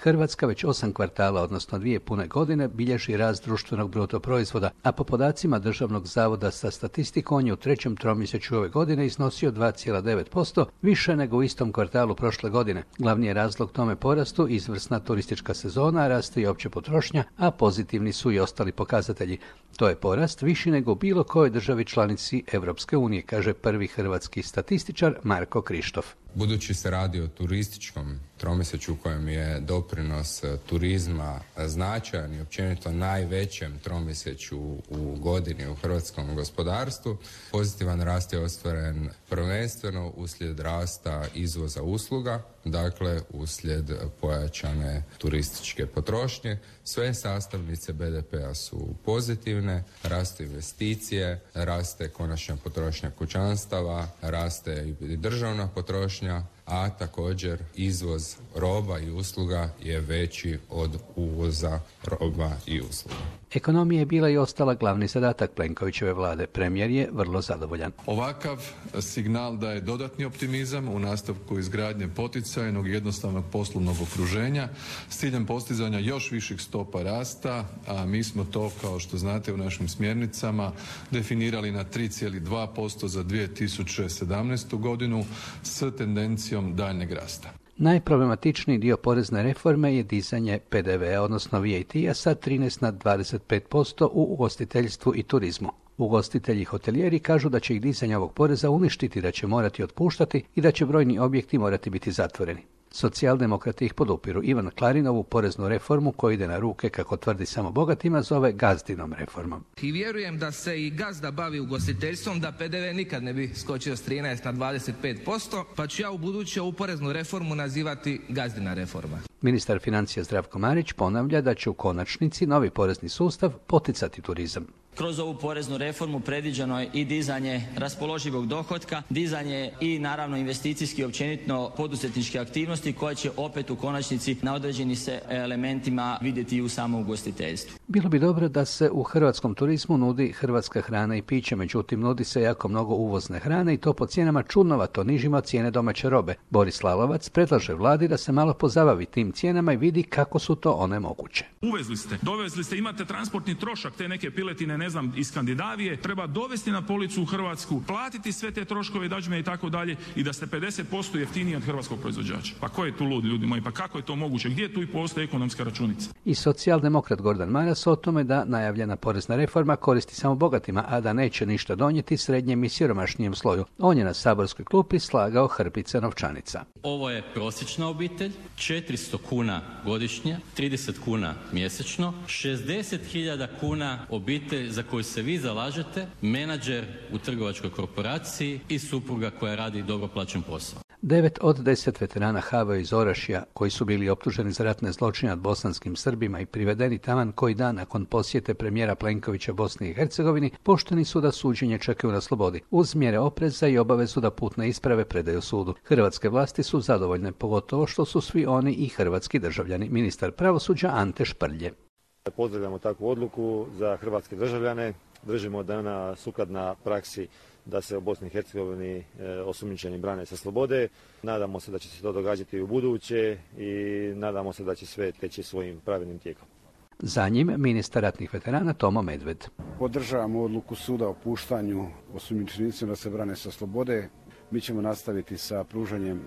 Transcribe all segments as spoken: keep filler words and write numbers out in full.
Hrvatska već osam kvartala, odnosno dvije pune godine, bilježi rast društvenog bruto proizvoda, a po podacima Državnog zavoda za statistiku on je u trećem tromjesečju ove godine iznosio dva zarez devet posto, više nego u istom kvartalu prošle godine. Glavni je razlog tome porastu izvrsna turistička sezona, raste i opća potrošnja, a pozitivni su i ostali pokazatelji. To je porast viši nego u bilo kojoj državi članici Europske unije, kaže prvi hrvatski statističar Marko Krištof. Budući se radi o turističkom tromjesečju u kojem je doprinos turizma značajan i općenito najvećem tromjesečju u godini u hrvatskom gospodarstvu, pozitivan rast je ostvaren prvenstveno uslijed rasta izvoza usluga, dakle uslijed pojačane turističke potrošnje. Sve sastavnice be de pea su pozitivne, rastu investicije, raste konačna potrošnja kućanstava, raste i državna potrošnja, a također izvoz roba i usluga je veći od uvoza roba i usluga. Ekonomija je bila i ostala glavni zadatak Plenkovićeve vlade. Premijer je vrlo zadovoljan. Ovakav signal daje dodatni optimizam u nastavku izgradnje poticajnog i jednostavnog poslovnog okruženja s ciljem postizanja još viših stopa rasta, a mi smo to, kao što znate, u našim smjernicama definirali na tri zarez dva posto za dvije tisuće sedamnaestu godinu s tendencijom daljnjeg rasta. Najproblematičniji dio porezne reforme je dizanje pe de ve a, odnosno ve a te-a sa trinaest na dvadeset pet posto u ugostiteljstvu i turizmu. Ugostitelji i hotelijeri kažu da će ih dizanje ovog poreza uništiti, da će morati otpuštati i da će brojni objekti morati biti zatvoreni. Socijaldemokrati ih podupiru. Ivan Klarin ovu poreznu reformu, koja ide na ruke, kako tvrdi, samo bogatima, zove gazdinom reformom. I vjerujem da se i gazda bavi ugostiteljstvom, da pe de ve nikad ne bi skočio s trinaest na dvadeset pet posto, pa ću ja u buduće ovu poreznu reformu nazivati gazdina reforma. Ministar financija Zdravko Marić ponavlja da će u konačnici novi porezni sustav poticati turizam. Kroz ovu poreznu reformu predviđeno je i dizanje raspoloživog dohotka, dizanje i naravno investicijski općenito poduzetničke aktivnosti koje će opet u konačnici na određenim se elementima vidjeti i u samom ugostiteljstvu. Bilo bi dobro da se u hrvatskom turizmu nudi hrvatska hrana i piće, međutim nudi se jako mnogo uvozne hrane i to po cijenama čudnovato nižima od cijene domaće robe. Boris Lalovac predlaže vladi da se malo pozabavi tim cijenama i vidi kako su to one moguće. Uvezli ste, dovezli ste, imate transportni trošak te neke piletine, ne znam, iz Skandinavije, treba dovesti na policu u Hrvatsku, platiti sve te troškove, dadžbine i tako dalje i da ste pedeset posto jeftiniji od hrvatskog proizvođača. Pa ko je tu lud, ljudi moji? Pa kako je to moguće? Gdje tu i postoji ekonomska računica? I socijaldemokrat Gordan Maras o tome da najavljena porezna reforma koristi samo bogatima, a da neće ništa donijeti srednjem i siromašnijem sloju. On je na saborskoj klupi slagao hrpice novčanica. Ovo je prosječna obitelj, četiristo kuna godišnje, trideset kuna mjesečno, šezdeset hiljada kuna obitelj za koju se vi zalažete, menadžer u trgovačkoj korporaciji i supruga koja radi dobro plaćen posao. Devet od deset veterana ha ve o iz Orašja, koji su bili optuženi za ratne zločine nad bosanskim Srbima i privedeni taman koji dan nakon posjete premijera Plenkovića Bosni i Hercegovini, pušteni su da suđenje čekaju na slobodi, uz mjere opreza i obavezu da putne isprave predaju sudu. Hrvatske vlasti su zadovoljne, pogotovo što su svi oni i hrvatski državljani. Ministar pravosuđa Ante Šprlje. Pozdravljamo takvu odluku za hrvatske državljane. Držimo da je ona sukladna praksi da se u Bosni i Hercegovini osumnjičeni brane sa slobode. Nadamo se da će se to događati i u buduće i nadamo se da će sve teći svojim pravilnim tijekom. Za njim ministar ratnih veterana Tomo Medved. Podržavamo odluku suda o puštanju osumnjičenicima da se brane sa slobode. Mi ćemo nastaviti sa pružanjem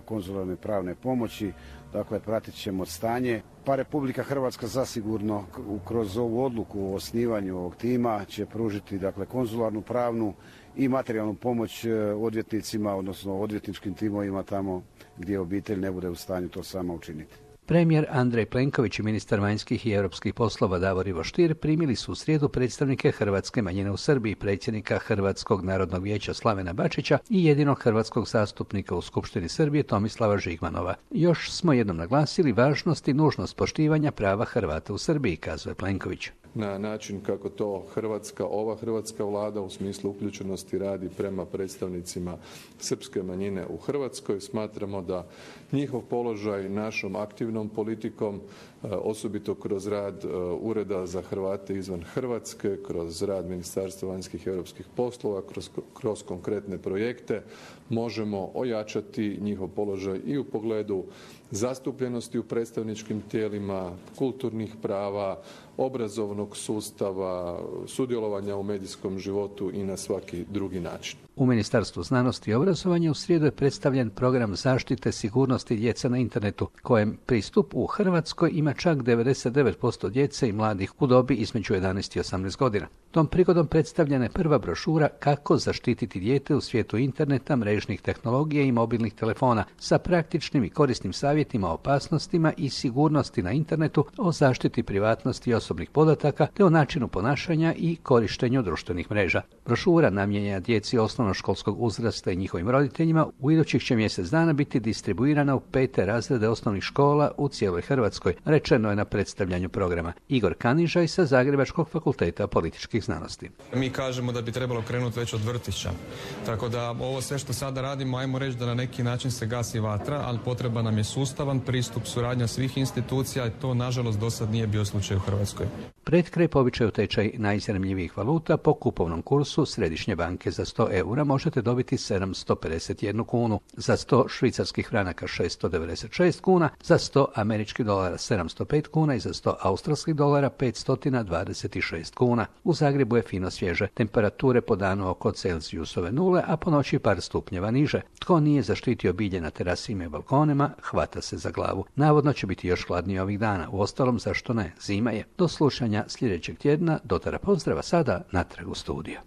konzularne pravne pomoći, dakle pratit ćemo stanje. Pa Republika Hrvatska zasigurno kroz ovu odluku o osnivanju ovog tima će pružiti dakle konzularnu pravnu i materijalnu pomoć odvjetnicima, odnosno odvjetničkim timovima tamo gdje obitelj ne bude u stanju to sama učiniti. Premijer Andrej Plenković i ministar vanjskih i europskih poslova Davor Ivo Stier primili su u srijedu predstavnike hrvatske manjine u Srbiji, predsjednika Hrvatskog narodnog vijeća Slavena Bačića i jedinog hrvatskog zastupnika u Skupštini Srbije Tomislava Žigmanova. Još smo jednom naglasili važnost i nužnost poštivanja prava Hrvata u Srbiji, kazuje Plenković. Na način kako to Hrvatska, ova hrvatska vlada u smislu uključenosti radi prema predstavnicima srpske manjine u Hrvatskoj. Smatramo da njihov položaj našom aktivnom politikom, osobito kroz rad Ureda za Hrvate izvan Hrvatske, kroz rad Ministarstva vanjskih i europskih poslova, kroz, kroz konkretne projekte, možemo ojačati njihov položaj i u pogledu zastupljenosti u predstavničkim tijelima, kulturnih prava, obrazovnog sustava, sudjelovanja u medijskom životu i na svaki drugi način. U Ministarstvu znanosti i obrazovanja u srijedu je predstavljen program zaštite sigurnosti djece na internetu, kojem pristup u Hrvatskoj ima čak devedeset devet posto djece i mladih u dobi između jedanaest i osamnaest godina. Tom prigodom predstavljena je prva brošura Kako zaštititi dijete u svijetu interneta, mrežnih tehnologija i mobilnih telefona sa praktičnim i korisnim savjetima o opasnostima i sigurnosti na internetu, o zaštiti privatnosti i osobnih podataka te o načinu ponašanja i korištenju društvenih mreža. Brošura namijenjena djeci osnovnoškolskog uzrasta i njihovim roditeljima u idućih će mjesec dana biti distribuirana u pete razrede osnovnih škola u cijeloj Hrvatskoj, rečeno je na predstavljanju programa. Igor Kanižaj sa Zagrebačkog fakulteta političkih znanosti. Mi kažemo da bi trebalo krenuti već od vrtića. Tako da ovo sve što sada radimo, ajmo reći da na neki način se gasi vatra, ali potreba nam je sustavan pristup, suradnja svih institucija i to nažalost do sad nije bio slučaj u Hrvatskoj. Pred kraj povičaju tečaj najzanimljivijih valuta. Po kupovnom kursu Središnje banke za sto eura možete dobiti sedamsto pedeset jednu kunu, za sto švicarskih franaka šesto devedeset šest kuna, za sto američkih dolara sedamsto pet kuna i za sto australskih dolara petsto dvadeset šest kuna. U Zagrebu je fino svježe, temperature po danu oko Celzijusove nule, a po noći par stupnjeva niže. Tko nije zaštitio bilje na terasima i balkonima, hvata se za glavu. Navodno će biti još hladnije ovih dana, uostalom zašto ne, zima je. Do slušanja sljedećeg tjedna, do tada pozdrava, sada natrag u studiju.